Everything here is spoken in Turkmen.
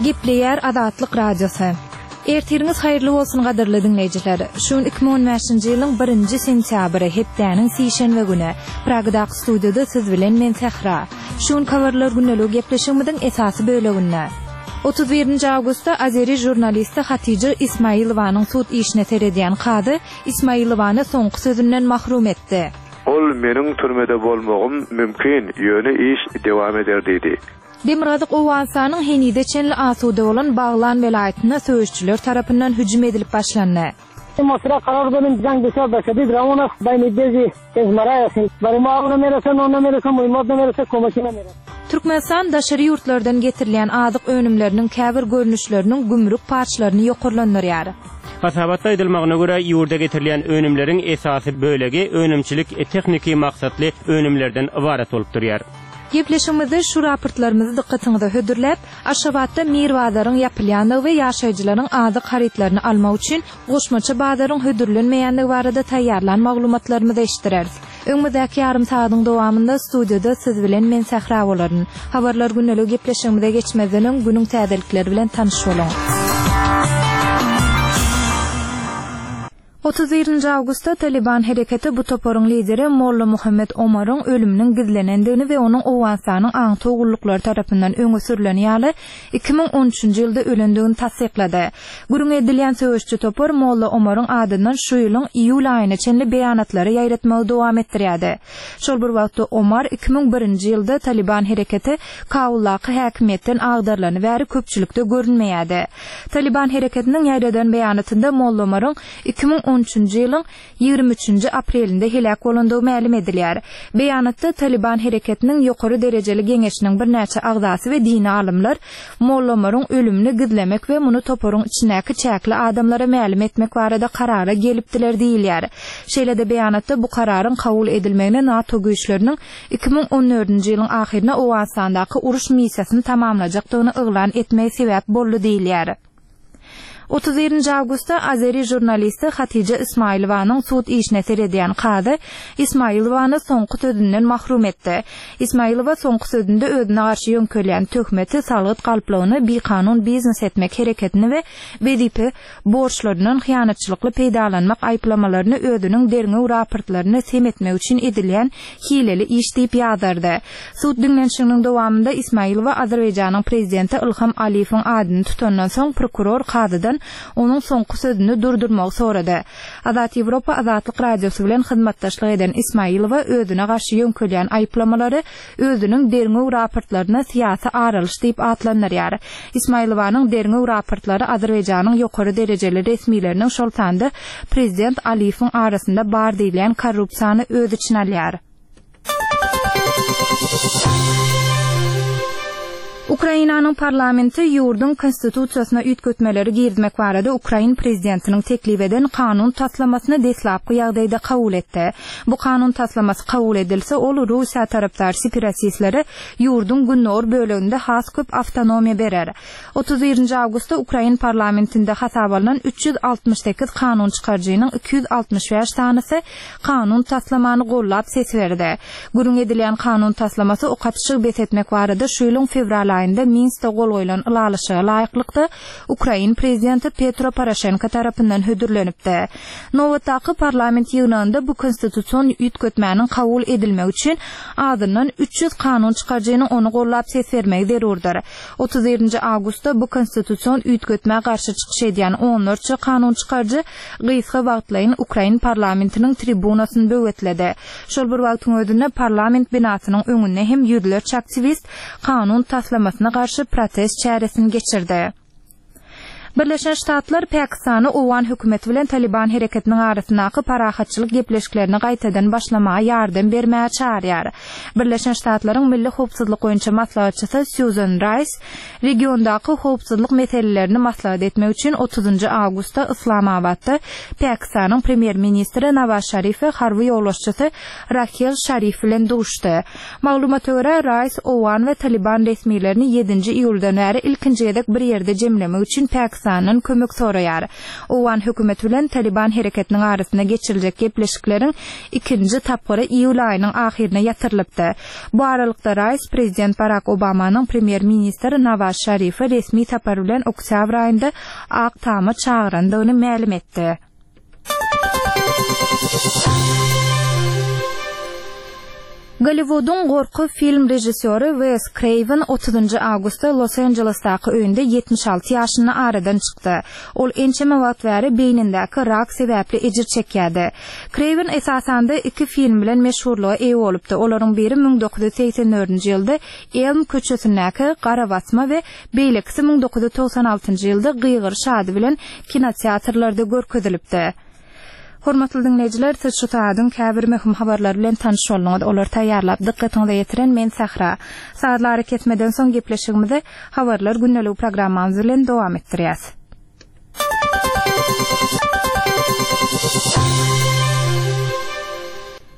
Gepleýär Azatlyk Radiosy. Ertiriňiz haýyrly bolsun gadyrly diňleýjiler. Şu gün 2015-nji ýylyň birinji sentýabry, hepdäniň sişenbe güni. Pragadaky studiýada siz bilen men Sähra. Şu günki habarlar gündeligi gepleşigimiziň esasy böleginde. 31-nji awgustda azeri žurnalisti Hatija Ismailowanyň sud işine seredýän kazy Ismailowany soňky sözünden mahrum etdi. Ol meniň türmede bolmagym mümkin, ýöne iş dewam eder diýdi. Demirgazyk Owganystanyň henize çenli asuda bolan Baglan welaýatynda söweşijiler tarapyndan hüjüm edilip başlandy. Türkmenistan daşary ýurtlardan getirilýän azyk önümleriniň käbir görnüşleriniň gümrük paçlaryny ýokarlandyrýar. Hasabatda aýdylmagyna görä, ýurda getirilýän önümleriň esasy bölegi önümçilik-tehniki maksatly önümlerden ybarat bolup durýar. Gepleşigimizde şu raportlarymyzy dykgatyňyza hödürläp, Aşgabatda Mir bazaryň ýapylýandygy we ýaşaýjylaryň azyk harytlaryny almak üçin goşmaça bazaryň hödürlenmeýändigi barada taýýarlan maglumatlarymyzy eşitdireris. Öňümizdäki ýarym sagadyň dowamynda studiýada siz bilen men Sähra bolaryn. Habarlar gündeligi gepleşigimize geçmezden öň günüň täzelikleri bilen tanyş boluň. 31-nji awgustda Talyban hereketi bu toparyň lideri Molla Muhammet Omaryň ölüminiň gizlenendigini we onuň Owganystanyň aňtaw gulluklary tarapyndan öňe sürleni ýaly 2013-nji ýylda ölendigini tassyklady. Gürrüňi edilýän söweşiji topar Molla Omaryň adyndan şu ýylyň iýul aýyna çenli beýanatlary ýaýratmagy dowam etdirýärdi. Şol bir wagtda Omar 2001-nji ýylda Talyban hereketi Kabuldaky häkimiýetden agdarylany bäri köpçülikde görünmeýärdi. Talyban hereketiniň ýaýradan beýanatynda Molla Omaryň 2013-nji ýylyň 23-nji aprelinde heläk bolandygy mälim edilýär. Beýanatda Talyban hereketiniň ýokary derejeli geňeşiniň birnäçe agzasy we dini alymlar Molla Omaryň ölümini gizlemek we muny toparyň içindäki çäkli adamlara mälim etmek barada karara gelipdiler diýilýär. Şeýle-de beýanatda bu kararyň kabul edilmegine NATO güýçleriniň 2014-nji ýylyň ahyryna Owganystandaky uruş missiýasyny tamamlajakdygyny yglan etmegi sebäp boldy diýilýär. 31-nji awgustda azeri žurnalisti Hatija Ismailowanyň sud işine seredýän kazy Ismailowany soňky sözünden mahrum etdi. Ismailowa soňky sözünde özüne garşy ýöňkelýän töhmeti, salgyt galplygyny, bikanun biznes etmek hereketini we wezipe borçlaryndan hyýanatçylykly peýdalanmak aýyplamalaryny özüniň derňew raportlaryny sem etmek üçin edilýän hileli iş diýip ýazardy. Sud diňlenişiginiň dowamynda Ismailowa Azerbaýjanyň prezidenti Ilham Aliýewiň adyny tutandan soň prokuror kazydan onuň soňky sözüni durdurmagy sorady. Azat Ýewropa Azatlyk Radiosy bilen hyzmatdaşlyk eden Ismailowa özüne garşy ýöňkelýän aýyplamalary özüniň derňew raportlaryny syýasy ar alyş diýip atlandyrýar. Ismailowanyň derňew raportlary Azerbaýjanyň ýokary derejeli resmileriniň, şol sanda prezident Aliýewiň arasynda bar diýilýän korrupsiýany öz içine alýar. Ukrainanyň parlamenti ýurduň Konstitusiýasyna üýtgetmeleri girizmek barada ukrain prezidentiniň teklip eden kanun taslamasyny deslapky ýagdaýda kabul etdi. Bu kanun taslamasy kabul edilse, ol Russiýa tarapdar separatistlere ýurduň gündogar böleginde has köp awtonomiýa berer. 31-nji awgustda ukrain parlamentinde hasaba alnan 368 kanun çykaryjynyň 265 sanysy kanun taslamany gollap ses berdi. Gürrüň edilýän kanun taslamasy ok atyşygy bes etmek barada şu ýylyň fewral aýynda Minskde gol goýlan ylalaşyga laýyklykda ukrain prezidenti Petro Poroşenko tarapyndan hödürlenipdi. Nobatdaky parlament ýygnagynda bu konstitusion üýtgetmäniň kabul edilmegi üçin azyndan 300 kanun çykaryjynyň ony gollap ses bermegi zerurdyr. 31-nji awgustda bu konstitusion üýtgetmä garşy çykyş edýän onlarça kanun çykaryjy gysga wagtlaýyn ukrain parlamentiniň tribunasyny böwetledi. Şol bir wagtyň özünde parlament binasynyň öňünde hem ýüzlerçe aktiwist kanun taslamasyna garşy protest çäresini geçirdi. Birleşen Ştatlar Pakistany owgan hökümeti bilen Talyban hereketiniň arasyndaky parahatçylyk gepleşiklerini gaýtadan başlamaga ýardam bermäge çagyrýar. Birleşen Ştatlaryň Milli howpsuzlyk boýunça maslahatçysy Sýuzan Raýs regiondaky howpsuzlyk meselelerini maslahat etmek üçin otuzynjy awgustda Yslamabatda Pakistanyň premýer-ministri Nawaz Şarif we harby ýolbaşçysy Rahil Şarif bilen duşdy. Maglumata görä, Raýs owgan we Talyban resmilerini ýedinji iýuldan bäri ilkinji gezek bir ýerde jemlemek üçin Pakistana. Pakistandan kömek soraýar. Owgan hökümeti bilen Talyban hereketiniň arasynda geçiriljek gepleşikleriň ikinji tapgyry iýul aýynyň ahyryna ýatyrylypdy. Bu aralykda Raýs prezident Barak Obamanyň premýer-ministr Nawaz Şarifi resmi sapar bilen oktýabr aýynda Ak Tama çagyrandygyny mälim etdi. Golliwudyň gorky film režissýory Wes Kreýwen otuzynjy awgustda Los-Anjelesdaky öýünde 76 ýaşynda aradan çykdy. Ol ençeme wagt bäri beýnindäki rak sebäpli ejir çekýärdi. Kreýwen esasanda iki film bilen meşhurlyga eýe bolupdy. Olaryň biri 1984-nji ýylda Elm köçesindäki Garabasma we beýlekisi 1996-njy ýylda Gygyryş ady bilen kinoteatrlarda görkezilipdi. Hormatly diňleýjiler, siz şu sagadyň käbir möhüm habarlary bilen tanyş bolduňyz. Olary taýýarlap, dykgatyňyza ýetiren men Sähra. Sazly arakesmeden soň gepleşigimizi Habarlar gündeligi programmamyz bilen dowam etdirýäs.